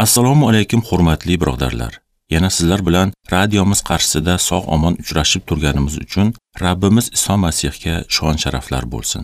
Assalomu alaykum hurmatli birodarlar. Yana sizlar bilan radiomiz qarshisida sog'-omon uchrashib turganimiz uchun Rabbimiz Iso Masihga shon-sharaflar bo'lsin.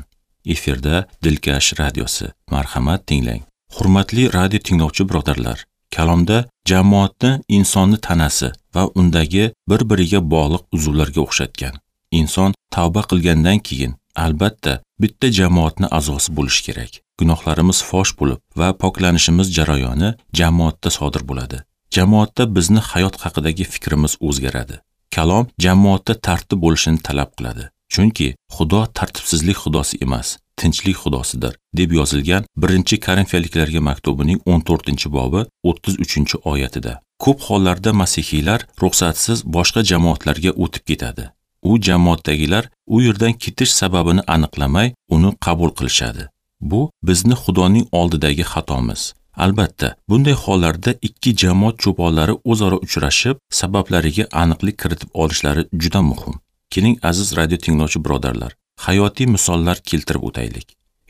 Efirda Dilkash radiosi. Marhamat tinglang. Hurmatli radio tinglovchi birodarlar, kalomda jamoatni insonni tanasi va undagi bir-biriga bog'liq uzvlarga o'xshatgan. Inson tavba qilgandan keyin albatta bitta jamoatni a'zosi bo'lish kerak. Gunohlarimiz fosh bo'lib va poklanishimiz jarayoni jamoatda sodir bo'ladi. Jamoatda bizni hayot haqidagi fikrimiz o'zgaradi. Kalom jamoatda tartib bo'lishini talab qiladi. Chunki Xudo tartibsizlik xudosi emas, tinchlik xudosidir, deb yozilgan 1-Korinfiyaliklarga maktubining 14-bobi 33-oyatida. Ko'p hollarda masihiylar ruxsatsiz boshqa jamoatlarga o'tib ketadi. U jamoatdagilar u yerdan ketish sababini aniqlamay, uni qabul qilishadi. Bu bizni Xudoning oldidagi xatomiz. Albatta, bunday hollarda ikki jamoat cho'ponlari o'zaro uchrashib, sabablariga aniqlik kiritib olishlari juda muhim. Keling, aziz radio tinglovchi birodarlar, hayotiy misollar keltirib o'taylik.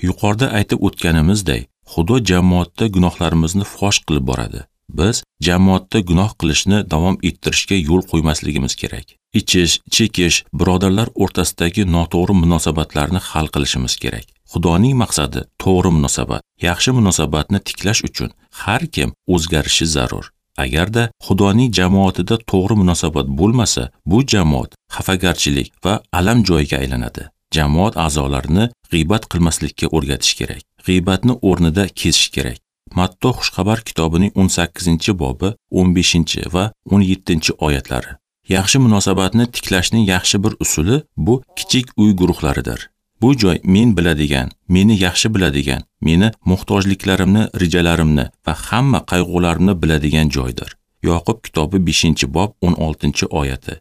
Yuqorida aytib o'tganimizdek, Xudo jamoatda gunohlarimizni fosh qilib boradi. Biz jamoatda gunoh qilishni davom ettirishga yo'l qo'ymasligimiz kerak. Ichish, chekish, birodarlar o'rtasidagi noto'g'ri munosabatlarni hal qilishimiz kerak. Xudoning maqsadi to'g'ri munosabat, yaxshi munosabatni tiklash uchun har kim o'zgarishi zarur. Agarda Xudoning jamoatida to'g'ri munosabat bo'lmasa, bu jamoat xafagarchilik va alam joyiga aylanadi. Jamoat a'zolarini g'iybat qilmaslikka o'rgatish kerak. G'iybatni o'rnida kesish kerak. Matto Xushxabar kitobining 18-bobi 15 va 17-oyatlari. Yaxshi munosabatni tiklashning yaxshi bir usuli bu kichik uy guruhlaridir. Bu joy men biladigan, meni yaxshi biladigan, meni muhtojliklarimni, rejalarimni va hamma qayg'ularimni biladigan joydir. Yoqub kitobi 5-bob 16-oyati.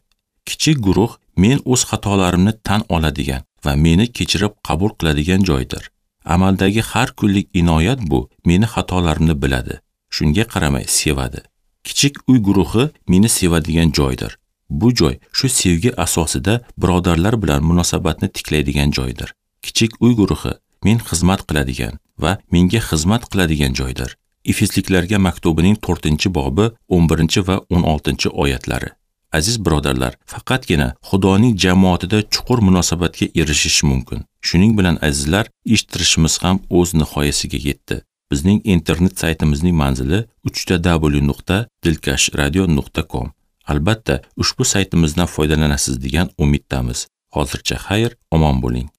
Kichik guruh men o'z xatolarimni tan oladigan va meni kechirib qabul qiladigan joydir. Amaldagi har kunlik inoyat bu meni xatolarimni biladi. Shunga qaramay sevadi. Kichik uy guruhi meni sevadigan joydir. Bu joy shu sevgi asosida birodarlar bilan munosabatni tiklaydigan joydir. Kichik uy guruhi men xizmat qiladigan va menga xizmat qiladigan joydir. Efesliklarga maktubining 4-bobi 11 va 16-oyatlari. Aziz birodarlar, faqatgina Xudoning jamoatida chuqur munosabatga erishish mumkin. Shuning bilan azizlar, eshittirishimiz ham o'z nihoyasiga yetdi. Bizning internet saytimizning manzili www.dilkashradio.com. Albatta, ushbu saytimizdan foydalanasiz degan umiddamiz. Hozircha xayr, omon bo'ling.